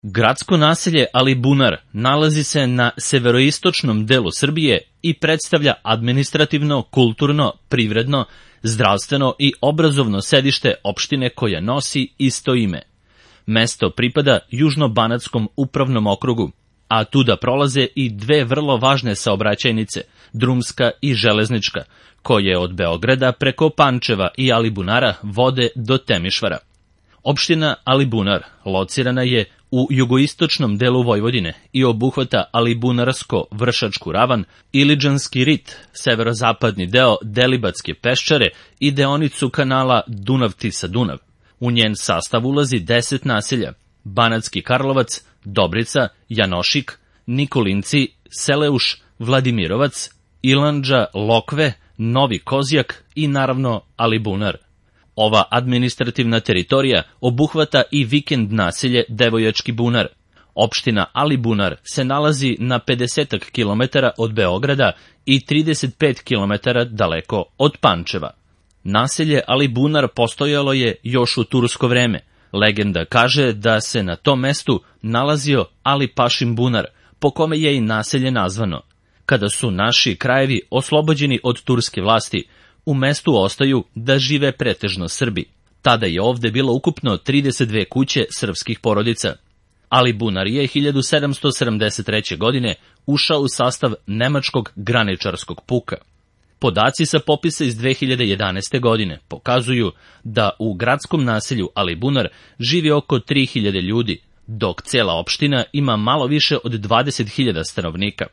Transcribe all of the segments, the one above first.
Gradsko naselje Alibunar nalazi se na severoistočnom delu Srbije i predstavlja administrativno, kulturno, privredno, zdravstveno i obrazovno sedište opštine koja nosi isto ime. Mesto pripada Južno-Banatskom upravnom okrugu, a tuda prolaze i dve vrlo važne saobraćajnice, drumska i železnička, koje od Beograda preko Pančeva i Alibunara vode do Temišvara. Opština Alibunar locirana je u jugoistočnom delu Vojvodine i obuhvata Alibunarsko-Vršačku ravan, Iliđanski rit, severozapadni deo Delibatske peščare i deonicu kanala Dunav-Tisa-Dunav. U njen sastav ulazi 10 naselja: Banatski Karlovac, Dobrica, Janošik, Nikolinci, Seleuš, Vladimirovac, Ilandža, Lokve, Novi Kozjak i naravno Alibunar. Ova administrativna teritorija obuhvata i vikend naselje Devojački bunar. Opština Alibunar se nalazi na 50 km od Beograda i 35 km daleko od Pančeva. Naselje Alibunar postojalo je još u tursko vreme. Legenda kaže da se na tom mestu nalazio Ali Pašin bunar, po kome je i naselje nazvano. Kada su naši krajevi oslobođeni od turske vlasti, u mestu ostaju da žive pretežno Srbi. Tada je ovde bilo ukupno 32 kuće srpskih porodica. Alibunar je 1773. godine ušao u sastav Nemačkog graničarskog puka. Podaci sa popisa iz 2011. godine pokazuju da u gradskom naselju Alibunar živi oko 3000 ljudi, dok cela opština ima malo više od 20.000 stanovnika.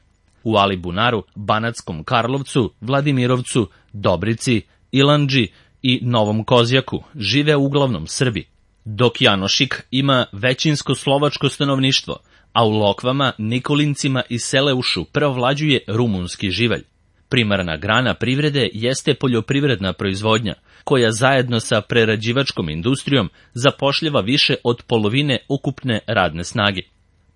U Alibunaru, Banatskom Karlovcu, Vladimirovcu, Dobrici, Ilandži i Novom Kozjaku žive uglavnom Srbi, dok Janošik ima većinsko slovačko stanovništvo, a u Lokvama, Nikolincima i Seleušu preovlađuje rumunski živalj. Primarna grana privrede jeste poljoprivredna proizvodnja, koja zajedno sa prerađivačkom industrijom zapošljava više od polovine ukupne radne snage.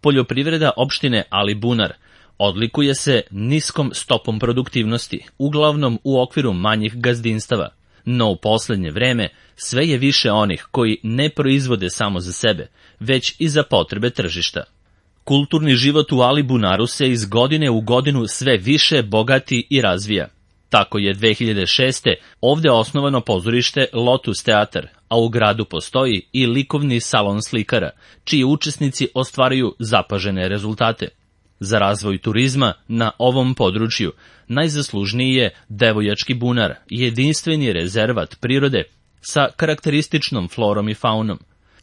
Poljoprivreda opštine Alibunar odlikuje se niskom stopom produktivnosti, uglavnom u okviru manjih gazdinstava, no u poslednje vreme sve je više onih koji ne proizvode samo za sebe, već i za potrebe tržišta. Kulturni život u Alibunaru se iz godine u godinu sve više bogati i razvija. Tako je 2006. ovde osnovano pozorište Lotus teatar, a u gradu postoji i likovni salon slikara, čiji učesnici ostvaruju zapažene rezultate. Za razvoj turizma na ovom području najzaslužniji je Devojački bunar, jedinstveni rezervat prirode sa karakterističnom florom i faunom.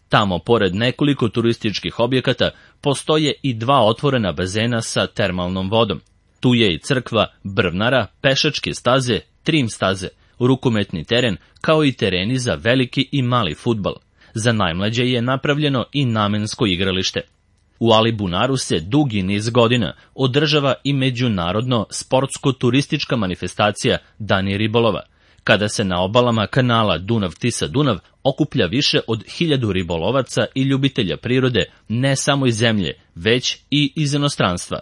Tamo, pored nekoliko turističkih objekata, postoje i 2 otvorena bazena sa termalnom vodom. Tu je i crkva Brvnara, pešačke staze, trim staze, rukometni teren, kao i tereni za veliki i mali fudbal. Za najmlađe je napravljeno i namensko igralište. U Alibunaru se dugi niz godina održava i međunarodno sportsko-turistička manifestacija Dani ribolova, kada se na obalama kanala Dunav-Tisa-Dunav okuplja više od 1000 ribolovaca i ljubitelja prirode ne samo iz zemlje, već i iz inostranstva.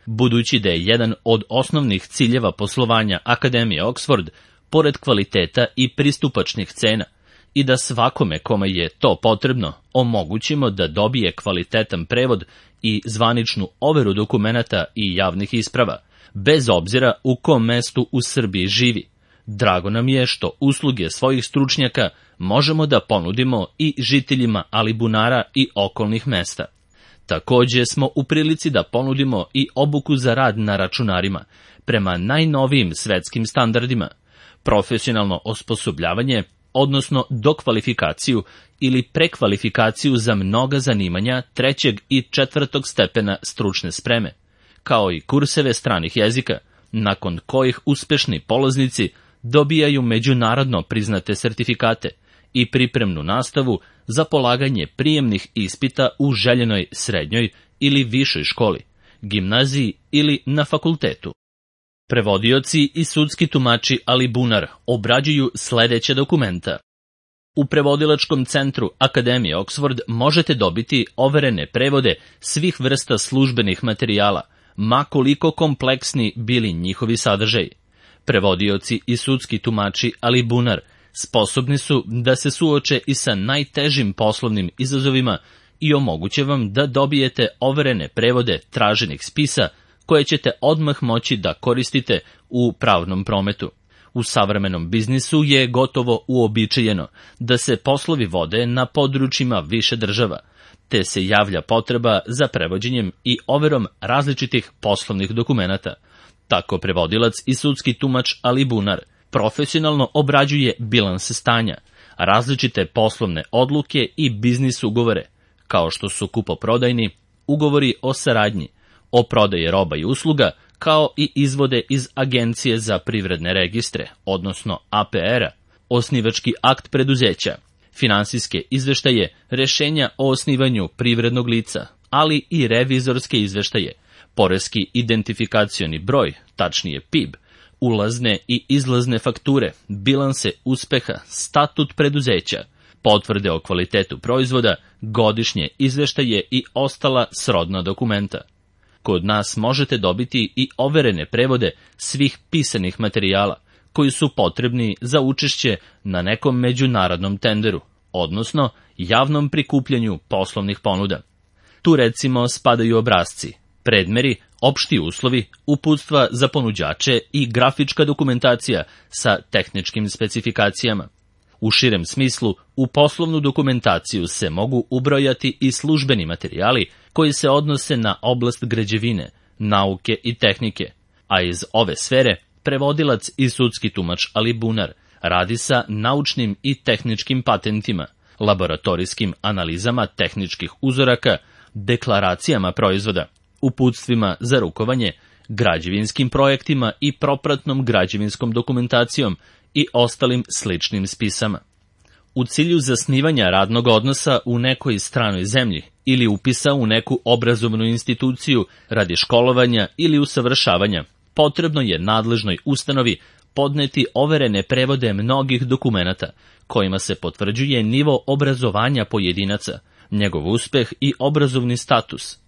Budući da je jedan od osnovnih ciljeva poslovanja Akademije Oxford, pored kvaliteta i pristupačnih cena, i da svakome kome je to potrebno omogućimo da dobije kvalitetan prevod i zvaničnu overu dokumenata i javnih isprava, bez obzira u kom mestu u Srbiji živi. Drago nam je što usluge svojih stručnjaka možemo da ponudimo i žiteljima Alibunara i okolnih mesta. Takođe smo u prilici da ponudimo i obuku za rad na računarima, prema najnovijim svetskim standardima, profesionalno osposobljavanje, odnosno dokvalifikaciju ili prekvalifikaciju za mnoga zanimanja 3. i 4. stepena stručne spreme, kao i kurseve stranih jezika, nakon kojih uspešni polaznici dobijaju međunarodno priznate sertifikate i pripremnu nastavu za polaganje prijemnih ispita u željenoj srednjoj ili višoj školi, gimnaziji ili na fakultetu. Prevodioci i sudski tumači Alibunar obrađuju sledeće dokumenta. U prevodilačkom centru Akademije Oxford možete dobiti overene prevode svih vrsta službenih materijala, ma koliko kompleksni bili njihovi sadržaji. Prevodioci i sudski tumači Alibunar sposobni su da se suoče i sa najtežim poslovnim izazovima i omoguće vam da dobijete overene prevode traženih spisa koje ćete odmah moći da koristite u pravnom prometu. U savremenom biznisu je gotovo uobičajeno da se poslovi vode na područjima više država, te se javlja potreba za prevođenjem i overom različitih poslovnih dokumenata. Tako prevodilac i sudski tumač Ali Bunar profesionalno obrađuje bilanse stanja, različite poslovne odluke i biznis ugovore, kao što su kupoprodajni, ugovori o saradnji, o prodaji roba i usluga, kao i izvode iz Agencije za privredne registre, odnosno APR-a, osnivački akt preduzeća, finansijske izveštaje, rešenja o osnivanju privrednog lica, ali i revizorske izveštaje, poreski identifikacioni broj, tačnije PIB, ulazne i izlazne fakture, bilanse uspeha, statut preduzeća, potvrde o kvalitetu proizvoda, godišnje izveštaje i ostala srodna dokumenta. Kod nas možete dobiti i overene prevode svih pisanih materijala koji su potrebni za učešće na nekom međunarodnom tenderu, odnosno javnom prikupljanju poslovnih ponuda. Tu recimo spadaju obrasci, predmeri, opšti uslovi, uputstva za ponuđače i grafička dokumentacija sa tehničkim specifikacijama. U širem smislu, u poslovnu dokumentaciju se mogu ubrojati i službeni materijali koji se odnose na oblast građevine, nauke i tehnike, a iz ove sfere prevodilac i sudski tumač Ali Bunar radi sa naučnim i tehničkim patentima, laboratorijskim analizama tehničkih uzoraka, deklaracijama proizvoda, uputstvima za rukovanje, građevinskim projektima i propratnom građevinskom dokumentacijom i ostalim sličnim spisama. U cilju zasnivanja radnog odnosa u nekoj stranoj zemlji ili upisa u neku obrazovnu instituciju radi školovanja ili usavršavanja, potrebno je nadležnoj ustanovi podneti overene prevode mnogih dokumenata, kojima se potvrđuje nivo obrazovanja pojedinaca, njegov uspeh i obrazovni status.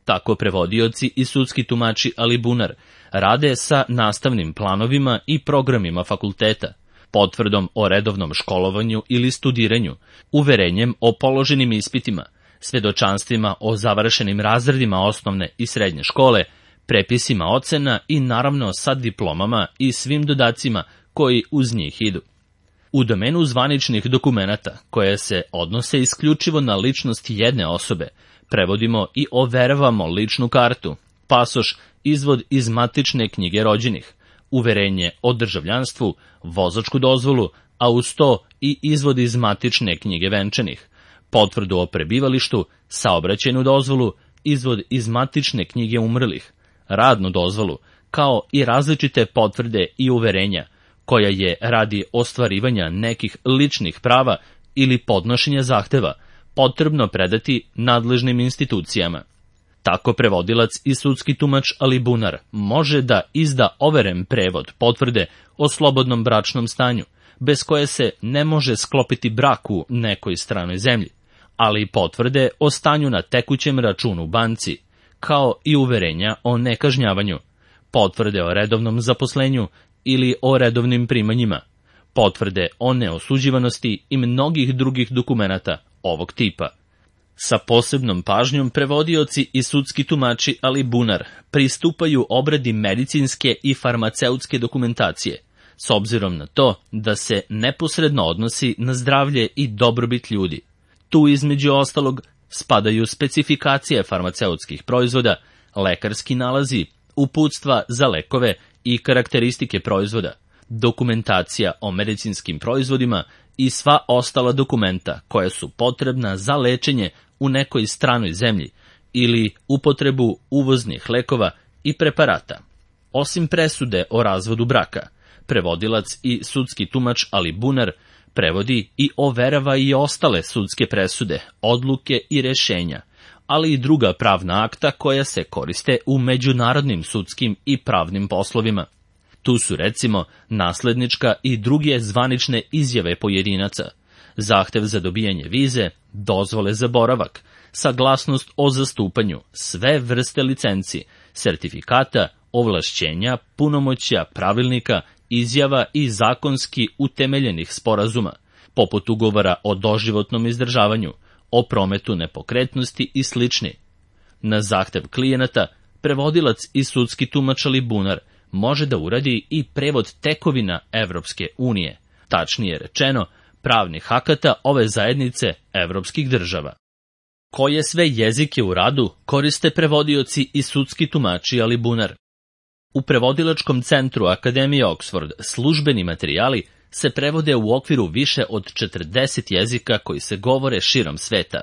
Tako prevodioci i sudski tumači Ali Bunar rade sa nastavnim planovima i programima fakulteta, potvrdom o redovnom školovanju ili studiranju, uverenjem o položenim ispitima, svedočanstvima o završenim razredima osnovne i srednje škole, prepisima ocena i naravno sa diplomama i svim dodacima koji uz njih idu. U domenu zvaničnih dokumenata, koje se odnose isključivo na ličnost jedne osobe, prevodimo i overavamo ličnu kartu, pasoš, izvod iz matične knjige rođenih, uverenje o državljanstvu, vozačku dozvolu, a uz to i izvod iz matične knjige venčanih, potvrdu o prebivalištu, saobraćajnu dozvolu, izvod iz matične knjige umrlih, radnu dozvolu, kao i različite potvrde i uverenja, koja je radi ostvarivanja nekih ličnih prava ili podnošenja zahteva potrebno predati nadležnim institucijama. Tako prevodilac i sudski tumač Ali Bunar može da izda overen prevod potvrde o slobodnom bračnom stanju, bez koje se ne može sklopiti brak u nekoj stranoj zemlji, ali i potvrde o stanju na tekućem računu u banci, kao i uverenja o nekažnjavanju, potvrde o redovnom zaposlenju ili o redovnim primanjima, potvrde o neosuđivanosti i mnogih drugih dokumenata ovog tipa. Sa posebnom pažnjom prevodioci i sudski tumači Ali Bunar pristupaju obradi medicinske i farmaceutske dokumentacije, s obzirom na to da se neposredno odnosi na zdravlje i dobrobit ljudi. Tu između ostalog spadaju specifikacije farmaceutskih proizvoda, lekarski nalazi, uputstva za lekove i karakteristike proizvoda, dokumentacija o medicinskim proizvodima i sva ostala dokumenta koja su potrebna za lečenje u nekoj stranoj zemlji ili upotrebu uvoznih lekova i preparata. Osim presude o razvodu braka, prevodilac i sudski tumač Ali Bunar prevodi i overava i ostale sudske presude, odluke i rešenja, ali i druga pravna akta koja se koriste u međunarodnim sudskim i pravnim poslovima. Tu su recimo naslednička i druge zvanične izjave pojedinaca, zahtev za dobijanje vize, dozvole za boravak, saglasnost o zastupanju, sve vrste licenci, sertifikata, ovlašćenja, punomoćja, pravilnika, izjava i zakonski utemeljenih sporazuma, poput ugovora o doživotnom izdržavanju, o prometu nepokretnosti i slični. Na zahtev klijenata, prevodilac i sudski tumač ali bunar može da uradi i prevod tekovina Evropske unije, tačnije rečeno, pravnih akata ove zajednice evropskih država. Koje sve jezike u radu koriste prevodioci i sudski tumači ali bunar? U prevodilačkom centru Akademije Oxford službeni materijali se prevode u okviru više od 40 jezika koji se govore širom sveta.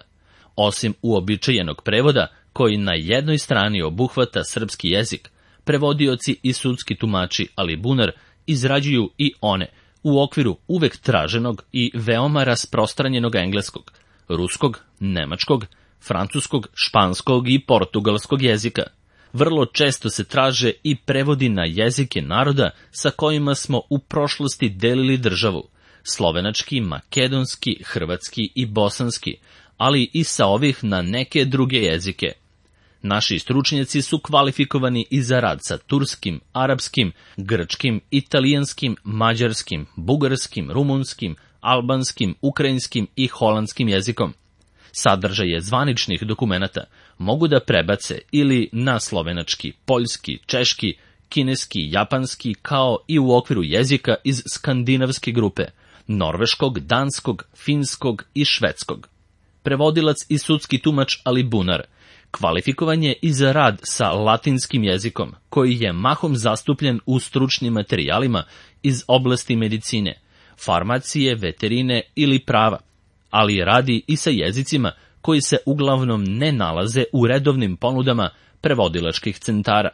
Osim uobičajenog prevoda, koji na jednoj strani obuhvata srpski jezik, prevodioci i sudski tumači ali bunar izrađuju i one u okviru uvek traženog i veoma rasprostranjenog engleskog, ruskog, nemačkog, francuskog, španskog i portugalskog jezika. Vrlo često se traže i prevodi na jezike naroda sa kojima smo u prošlosti delili državu, slovenački, makedonski, hrvatski i bosanski, ali i sa ovih na neke druge jezike. Naši stručnjaci su kvalifikovani i za rad sa turskim, arapskim, grčkim, italijanskim, mađarskim, bugarskim, rumunskim, albanskim, ukrajinskim i holandskim jezikom. Sadržaje zvaničnih dokumenata mogu da prebace ili na slovenački, poljski, češki, kineski, japanski, kao i u okviru jezika iz skandinavske grupe, norveškog, danskog, finskog i švedskog. Prevodilac i sudski tumač ali bunar kvalifikovan je i za rad sa latinskim jezikom, koji je mahom zastupljen u stručnim materijalima iz oblasti medicine, farmacije, veterine ili prava, ali radi i sa jezicima koji se uglavnom ne nalaze u redovnim ponudama prevodilačkih centara,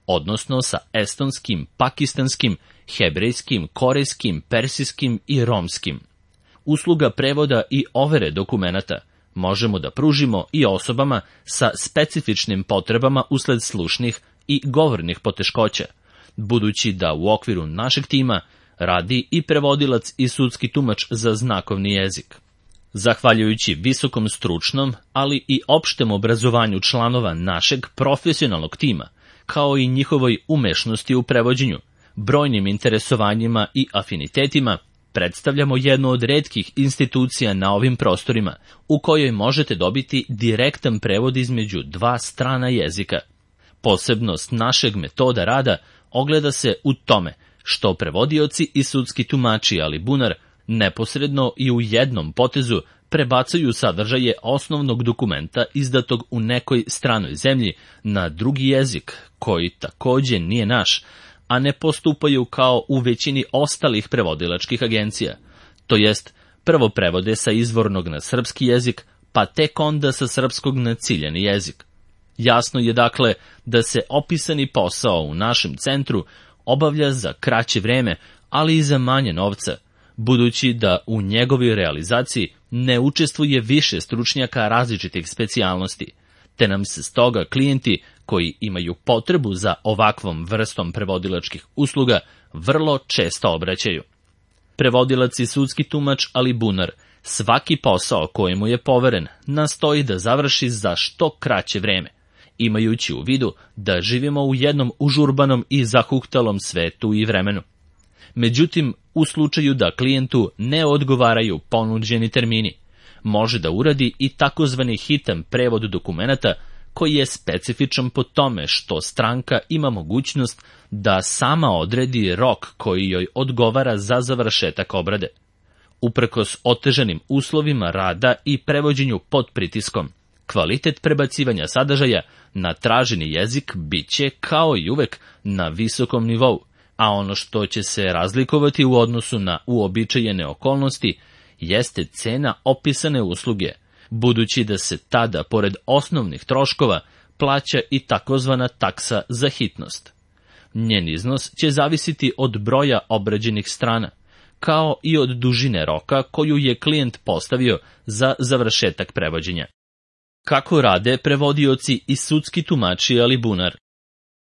odnosno sa estonskim, pakistanskim, hebrejskim, korejskim, persijskim i romskim. Usluga prevoda i overe dokumenata možemo da pružimo i osobama sa specifičnim potrebama usled slušnih i govornih poteškoća, budući da u okviru našeg tima radi i prevodilac i sudski tumač za znakovni jezik. Zahvaljujući visokom stručnom, ali i opštem obrazovanju članova našeg profesionalnog tima, kao i njihovoj umešnosti u prevođenju, brojnim interesovanjima i afinitetima, predstavljamo jednu od retkih institucija na ovim prostorima, u kojoj možete dobiti direktan prevod između dva strana jezika. Posebnost našeg metoda rada ogleda se u tome što prevodioci i sudski tumači ali bunar neposredno i u jednom potezu prebacuju sadržaje osnovnog dokumenta izdatog u nekoj stranoj zemlji na drugi jezik, koji takođe nije naš, a ne postupaju kao u većini ostalih prevodilačkih agencija. To jest, prvo prevode sa izvornog na srpski jezik, pa tek onda sa srpskog na ciljani jezik. Jasno je dakle da se opisani posao u našem centru obavlja za kraće vreme, ali i za manje novca, budući da u njegovoj realizaciji ne učestvuje više stručnjaka različitih specijalnosti, te nam se stoga klijenti koji imaju potrebu za ovakvom vrstom prevodilačkih usluga vrlo često obraćaju. Prevodilac i sudski tumač ali bunar svaki posao kojemu je poveren nastoji da završi za što kraće vreme, imajući u vidu da živimo u jednom užurbanom i zahuktalom svetu i vremenu. Međutim, u slučaju da klijentu ne odgovaraju ponuđeni termini, može da uradi i takozvani hitan prevod dokumenata koji je specifičan po tome što stranka ima mogućnost da sama odredi rok koji joj odgovara za završetak obrade. Uprkos otežanim uslovima rada i prevođenju pod pritiskom, kvalitet prebacivanja sadržaja na traženi jezik biće kao i uvek na visokom nivou, a ono što će se razlikovati u odnosu na uobičajene okolnosti jeste cena opisane usluge, budući da se tada, pored osnovnih troškova, plaća i takozvana taksa za hitnost. Njen iznos će zavisiti od broja obrađenih strana, kao i od dužine roka koju je klijent postavio za završetak prevođenja. Kako rade prevodioci i sudski tumači ali bunar?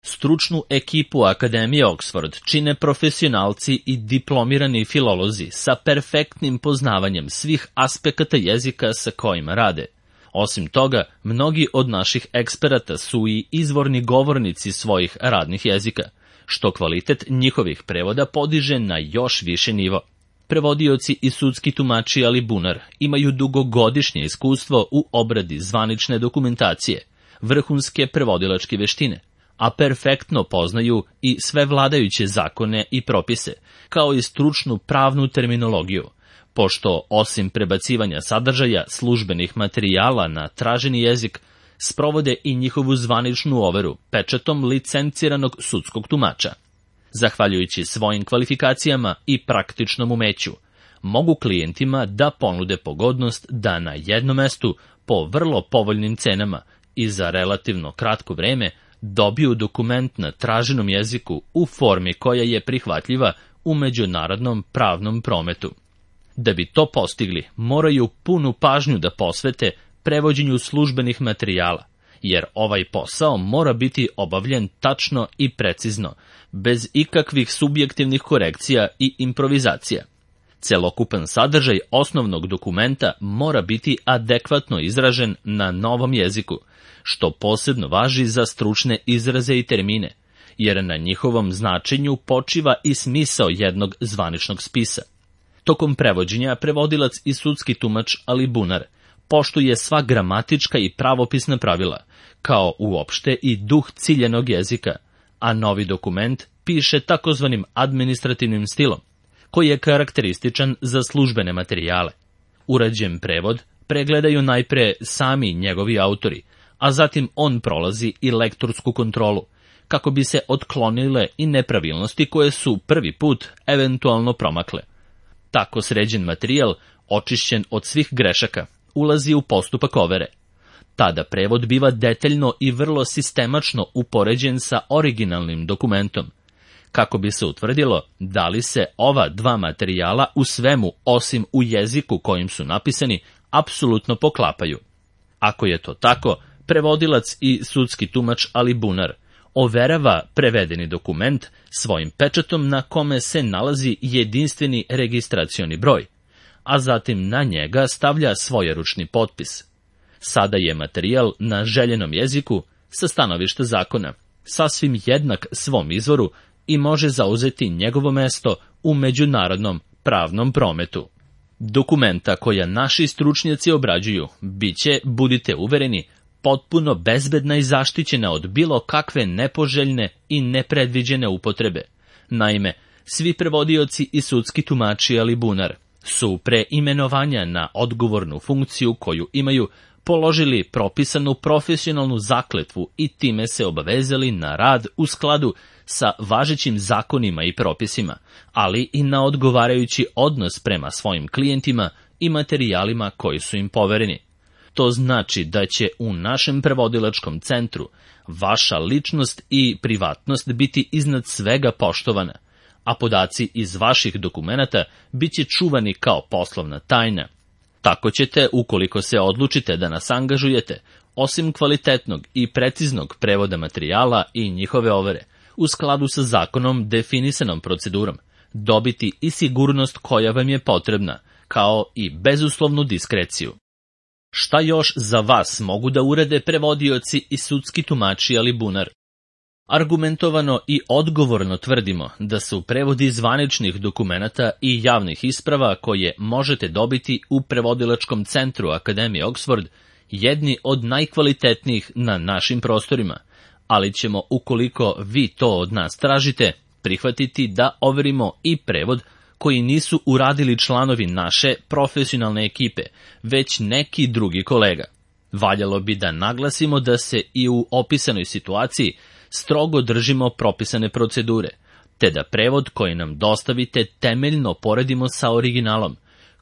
Stručnu ekipu Akademije Oxford čine profesionalci i diplomirani filolozi sa perfektnim poznavanjem svih aspekata jezika sa kojima rade. Osim toga, mnogi od naših eksperata su i izvorni govornici svojih radnih jezika, što kvalitet njihovih prevoda podiže na još više nivo. Prevodioci i sudski tumači alibunar imaju dugogodišnje iskustvo u obradi zvanične dokumentacije, vrhunske prevodilačke veštine, a perfektno poznaju i sve vladajuće zakone i propise, kao i stručnu pravnu terminologiju, pošto osim prebacivanja sadržaja službenih materijala na traženi jezik, sprovode i njihovu zvaničnu overu pečatom licenciranog sudskog tumača. Zahvaljujući svojim kvalifikacijama i praktičnom umeću, mogu klijentima da ponude pogodnost da na jednom mestu po vrlo povoljnim cenama i za relativno kratko vreme dobiju dokument na traženom jeziku u formi koja je prihvatljiva u međunarodnom pravnom prometu. Da bi to postigli, moraju punu pažnju da posvete prevođenju službenih materijala, jer ovaj posao mora biti obavljen tačno i precizno, bez ikakvih subjektivnih korekcija i improvizacija. Celokupan sadržaj osnovnog dokumenta mora biti adekvatno izražen na novom jeziku, što posebno važi za stručne izraze i termine, jer na njihovom značenju počiva i smisao jednog zvaničnog spisa. Tokom prevođenja prevodilac i sudski tumač alibunar poštuje sva gramatička i pravopisna pravila, kao uopšte i duh ciljenog jezika, a novi dokument piše takozvanim administrativnim stilom, koji je karakterističan za službene materijale. Urađen prevod pregledaju najpre sami njegovi autori, a zatim on prolazi i lektorsku kontrolu, kako bi se otklonile i nepravilnosti koje su prvi put eventualno promakle. Tako sređen materijal, očišćen od svih grešaka, ulazi u postupak overe. Tada prevod biva detaljno i vrlo sistemačno upoređen sa originalnim dokumentom, kako bi se utvrdilo da li se ova dva materijala u svemu, osim u jeziku kojim su napisani, apsolutno poklapaju. Ako je to tako, prevodilac i sudski tumač alibunar overava prevedeni dokument svojim pečatom na kome se nalazi jedinstveni registracioni broj, a zatim na njega stavlja svojeručni potpis. Sada je materijal na željenom jeziku sa stanovišta zakona sasvim jednak svom izvoru i može zauzeti njegovo mesto u međunarodnom pravnom prometu. Dokumenta koja naši stručnjaci obrađuju biće, budite uvereni, potpuno bezbedna i zaštićena od bilo kakve nepoželjne i nepredviđene upotrebe. Naime, svi prevodioci i sudski tumači alibunar su pre imenovanja na odgovornu funkciju koju imaju položili propisanu profesionalnu zakletvu i time se obavezali na rad u skladu sa važećim zakonima i propisima, ali i na odgovarajući odnos prema svojim klijentima i materijalima koji su im povereni. To znači da će u našem prevodilačkom centru vaša ličnost i privatnost biti iznad svega poštovana, a podaci iz vaših dokumenata bit će čuvani kao poslovna tajna. Tako ćete, ukoliko se odlučite da nas angažujete, osim kvalitetnog i preciznog prevoda materijala i njihove overe, u skladu sa zakonom definisanom procedurom, dobiti i sigurnost koja vam je potrebna, kao i bezuslovnu diskreciju. Šta još za vas mogu da urade prevodioci i sudski tumači alibunar? Argumentovano i odgovorno tvrdimo da su prevodi zvaničnih dokumenata i javnih isprava koje možete dobiti u prevodilačkom centru Akademije Oxford jedni od najkvalitetnijih na našim prostorima, ali ćemo, ukoliko vi to od nas tražite, prihvatiti da overimo i prevod koji nisu uradili članovi naše profesionalne ekipe, već neki drugi kolega. Valjalo bi da naglasimo da se i u opisanoj situaciji strogo držimo propisane procedure, te da prevod koji nam dostavite temeljno poredimo sa originalom,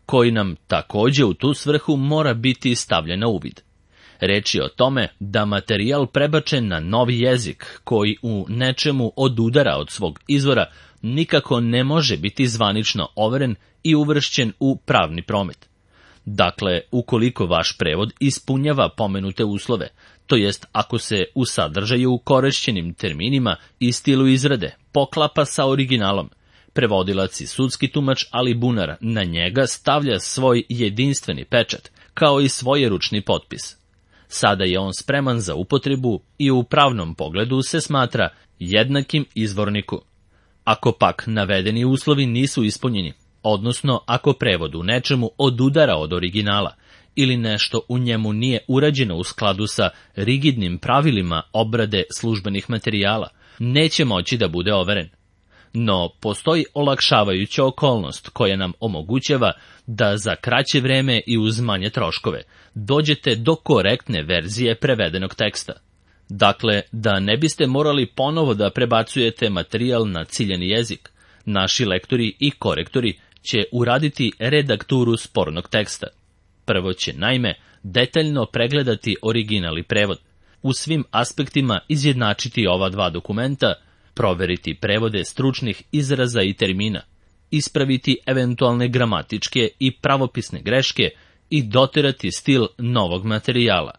koji nam takođe u tu svrhu mora biti stavljen na uvid. Reč je o tome da materijal prebačen na novi jezik, koji u nečemu odudara od svog izvora, nikako ne može biti zvanično overen i uvršćen u pravni promet. Dakle, ukoliko vaš prevod ispunjava pomenute uslove, to jest ako se u sadržaju korišćenim terminima i stilu izrade poklapa sa originalom, prevodilac i sudski tumač alibunar na njega stavlja svoj jedinstveni pečat, kao i svojeručni potpis. Sada je on spreman za upotrebu i u pravnom pogledu se smatra jednakim izvorniku. Ako pak navedeni uslovi nisu ispunjeni, odnosno ako prevod u nečemu odudara od originala ili nešto u njemu nije urađeno u skladu sa rigidnim pravilima obrade službenih materijala, neće moći da bude overen. No, postoji olakšavajuća okolnost koja nam omogućava da za kraće vreme i uz manje troškove dođete do korektne verzije prevedenog teksta. Dakle, da ne biste morali ponovo da prebacujete materijal na ciljani jezik, naši lektori i korektori će uraditi redakturu spornog teksta. Prvo će, naime, detaljno pregledati original i prevod, u svim aspektima izjednačiti ova dva dokumenta, proveriti prevode stručnih izraza i termina, ispraviti eventualne gramatičke i pravopisne greške i doterati stil novog materijala.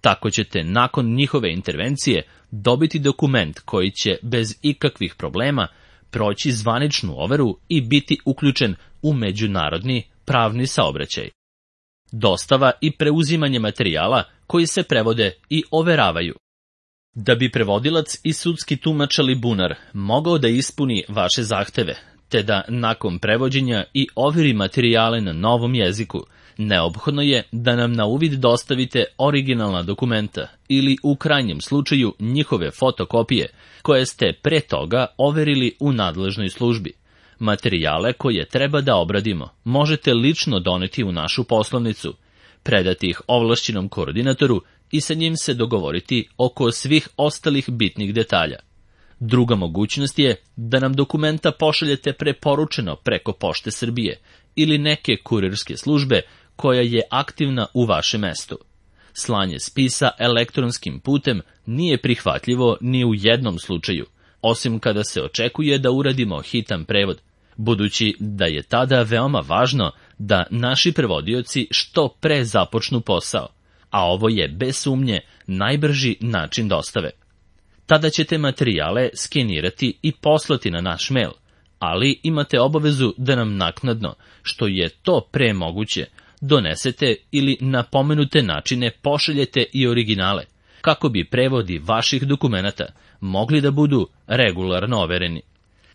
Tako ćete nakon njihove intervencije dobiti dokument koji će bez ikakvih problema proći zvaničnu overu i biti uključen u međunarodni pravni saobraćaj. Dostava i preuzimanje materijala koji se prevode i overavaju. Da bi prevodilac i sudski tumač ali bunar mogao da ispuni vaše zahteve, te da nakon prevođenja i overi materijale na novom jeziku, neophodno je da nam na uvid dostavite originalna dokumenta ili u krajnjem slučaju njihove fotokopije koje ste pre toga overili u nadležnoj službi. Materijale koje treba da obradimo možete lično doneti u našu poslovnicu, predati ih ovlašćenom koordinatoru i sa njim se dogovoriti oko svih ostalih bitnih detalja. Druga mogućnost je da nam dokumenta pošaljete preporučeno preko Pošte Srbije ili neke kurirske službe koja je aktivna u vašem mestu. Slanje spisa elektronskim putem nije prihvatljivo ni u jednom slučaju, osim kada se očekuje da uradimo hitan prevod, budući da je tada veoma važno da naši prevodioci što pre započnu posao, a ovo je bez sumnje najbrži način dostave. Tada ćete materijale skenirati i poslati na naš mail, ali imate obavezu da nam naknadno, što je to pre moguće, donesete ili na pomenute načine pošaljete i originale, kako bi prevodi vaših dokumenata mogli da budu regularno overeni.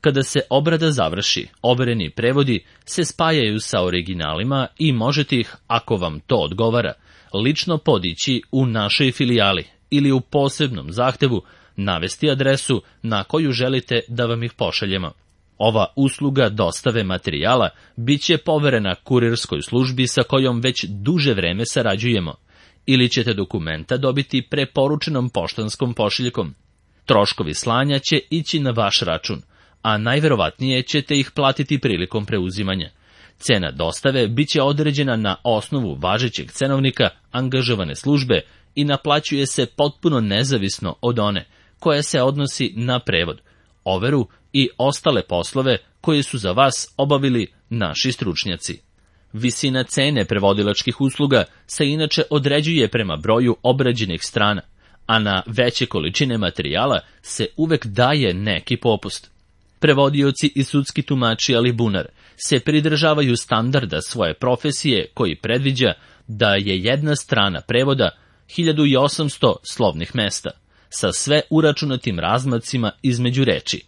Kada se obrada završi, overeni prevodi se spajaju sa originalima i možete ih, ako vam to odgovara, lično podići u našoj filijali ili u posebnom zahtevu navesti adresu na koju želite da vam ih pošaljemo. Ova usluga dostave materijala bit će poverena kurirskoj službi sa kojom već duže vreme sarađujemo, ili ćete dokumenta dobiti preporučenom poštanskom pošiljkom. Troškovi slanja će ići na vaš račun, a najverovatnije ćete ih platiti prilikom preuzimanja. Cena dostave bit će određena na osnovu važećeg cenovnika angažovane službe i naplaćuje se potpuno nezavisno od one koja se odnosi na prevod, overu i ostale poslove koje su za vas obavili naši stručnjaci. Visina cene prevodilačkih usluga se inače određuje prema broju obrađenih strana, a na veće količine materijala se uvek daje neki popust. Prevodioci i sudski tumači ali bunar se pridržavaju standarda svoje profesije koji predviđa da je jedna strana prevoda 1800 slovnih mesta, sa sve uračunatim razmacima između reči.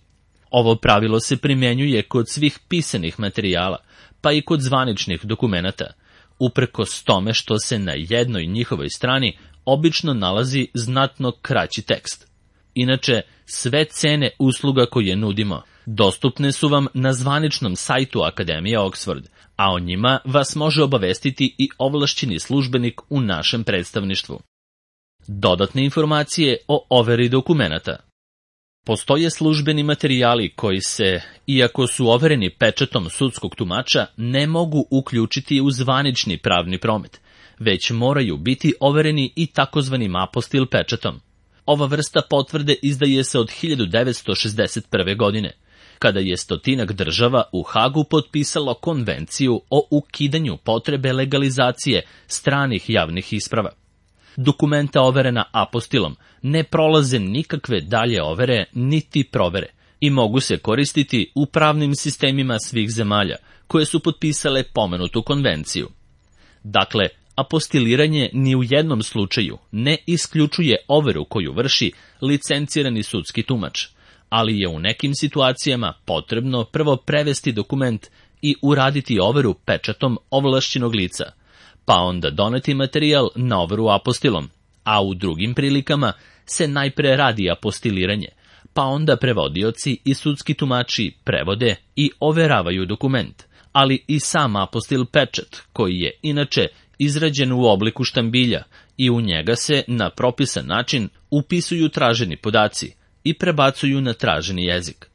Ovo pravilo se primjenjuje kod svih pisanih materijala, pa i kod zvaničnih dokumenata, uprkos tome što se na jednoj njihovoj strani obično nalazi znatno kraći tekst. Inače, sve cene usluga koje nudimo dostupne su vam na zvaničnom sajtu Akademije Oxford, a o njima vas može obavestiti i ovlašćeni službenik u našem predstavništvu. Dodatne informacije o overi dokumenata. Postoje službeni materijali koji se, iako su overeni pečatom sudskog tumača, ne mogu uključiti u zvanični pravni promet, već moraju biti overeni i takozvanim apostil pečatom. Ova vrsta potvrde izdaje se od 1961. godine, kada je 100 država u Hagu potpisalo konvenciju o ukidanju potrebe legalizacije stranih javnih isprava. Dokumenta overena apostilom ne prolaze nikakve dalje overe niti provere i mogu se koristiti u pravnim sistemima svih zemalja koje su potpisale pomenutu konvenciju. Dakle, apostiliranje ni u jednom slučaju ne isključuje overu koju vrši licencirani sudski tumač, ali je u nekim situacijama potrebno prvo prevesti dokument i uraditi overu pečatom ovlašćenog lica, pa onda doneti materijal na overu apostilom, a u drugim prilikama se najpre radi apostiliranje, pa onda prevodioci i sudski tumači prevode i overavaju dokument, ali i sam apostil pečat, koji je inače izrađen u obliku štambilja i u njega se na propisan način upisuju traženi podaci i prebacuju na traženi jezik.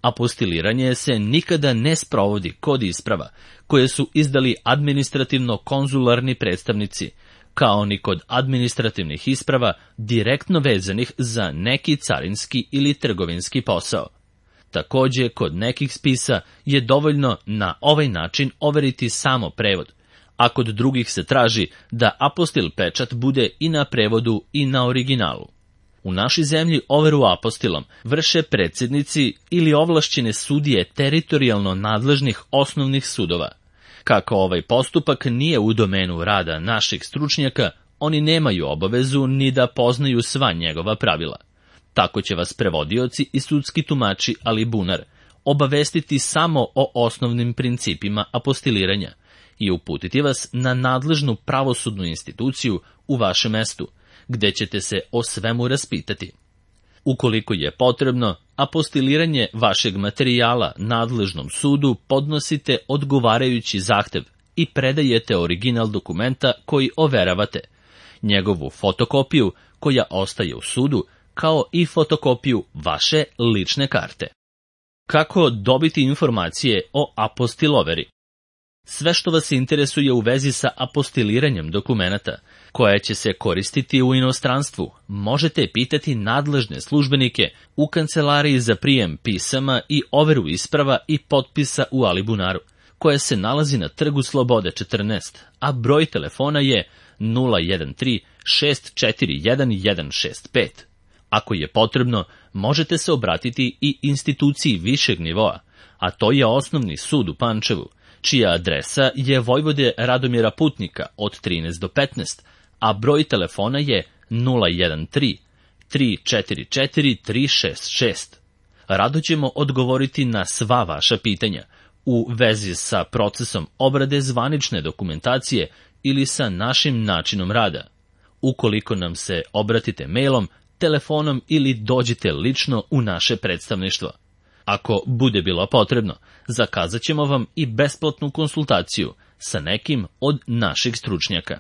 Apostiliranje se nikada ne sprovodi kod isprava koje su izdali administrativno-konzularni predstavnici, kao ni kod administrativnih isprava direktno vezanih za neki carinski ili trgovinski posao. Takođe, kod nekih spisa je dovoljno na ovaj način overiti samo prevod, a kod drugih se traži da apostil pečat bude i na prevodu i na originalu. U našoj zemlji overu apostilom vrše predsjednici ili ovlašćene sudije teritorijalno nadležnih osnovnih sudova. Kako ovaj postupak nije u domenu rada naših stručnjaka, oni nemaju obavezu ni da poznaju sva njegova pravila. Tako će vas prevodioci i sudski tumači alibunar obavestiti samo o osnovnim principima apostiliranja i uputiti vas na nadležnu pravosudnu instituciju u vašem mestu, gde ćete se o svemu raspitati. Ukoliko je potrebno, apostiliranje vašeg materijala nadležnom sudu podnosite odgovarajući zahtev i predajete original dokumenta koji overavate, njegovu fotokopiju koja ostaje u sudu, kao i fotokopiju vaše lične karte. Kako dobiti informacije o apostiloveri? Sve što vas interesuje u vezi sa apostiliranjem dokumenata, koja će se koristiti u inostranstvu, možete pitati nadležne službenike u kancelariji za prijem pisama i overu isprava i potpisa u alibunaru, koja se nalazi na Trgu Slobode 14, a broj telefona je 013 641 165. Ako je potrebno, možete se obratiti i instituciji višeg nivoa, a to je Osnovni sud u Pančevu, čija adresa je Vojvode Radomira Putnika od 13 do 15, a broj telefona je 013 344 366. Rado ćemo odgovoriti na sva vaša pitanja u vezi sa procesom obrade zvanične dokumentacije ili sa našim načinom rada. Ukoliko nam se obratite mailom, telefonom ili dođite lično u naše predstavništvo. Ako bude bilo potrebno, zakazat ćemo vam i besplatnu konsultaciju sa nekim od naših stručnjaka.